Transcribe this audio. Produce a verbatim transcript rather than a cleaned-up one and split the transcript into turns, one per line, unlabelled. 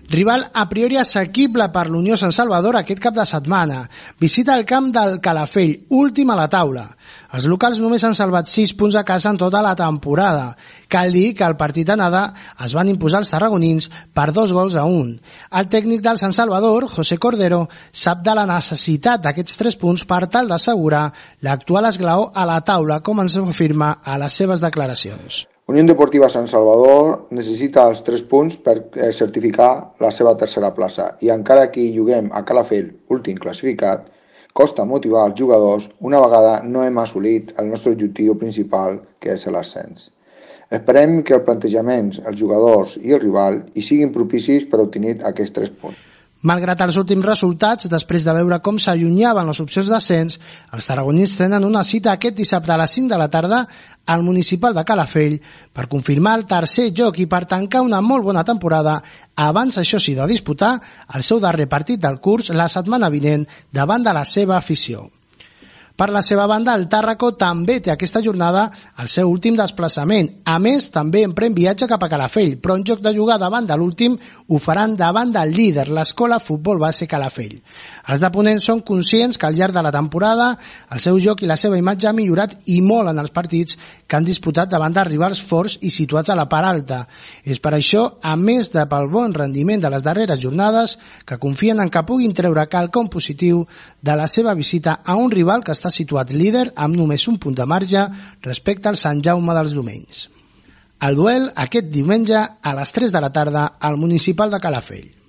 Rival a priori assequible per l'Unió Sant Salvador aquest cap de setmana. Visita el camp del Calafell, últim a la taula. Els locals només han salvat sis punts a casa en tota la temporada. Cal dir que al partit d'anada es van imposar els tarragonins per dos gols a un. El tècnic del Sant Salvador, José Cordero, sap de la necessitat d'aquests tres punts per tal d'assegurar l'actual esglaó a la taula, com ens afirma a les seves declaracions.
Unió Deportiva Sant Salvador necessita els tres punts per certificar la seva tercera plaça i encara que hi juguem a Calafell, últim classificat, costa motivar els jugadors una vegada no hem assolit el nostre objectiu principal, que és l'ascens. Esperem que els plantejaments, els jugadors i el rival hi siguin propicis per obtenir aquests tres punts.
Malgrat els últims resultats, després de veure com s'allunyaven les opcions d'ascens, els tarragonins tenen una cita aquest dissabte a les cinc de la tarda al municipal de Calafell per confirmar el tercer lloc i per tancar una molt bona temporada abans, això sí, de disputar el seu darrer partit del curs la setmana vinent davant de la seva afició. Per la seva banda, el Tàrraco també té aquesta jornada el seu últim desplaçament. A més, també emprèn viatge cap a Calafell, però en lloc de jugar davant de l'últim, ho faran davant del líder, l'Escola Futbol Base Calafell. Els de Ponent són conscients que al llarg de la temporada el seu joc i la seva imatge ha millorat i molt en els partits que han disputat davant de rivals forts i situats a la part alta. És per això, a més de pel bon rendiment de les darreres jornades, que confien en que puguin treure quelcom positiu de la seva visita a un rival que està està situat líder amb només un punt de marge respecte al Sant Jaume dels Domenys. El duel aquest diumenge a les tres de la tarda al municipal de Calafell.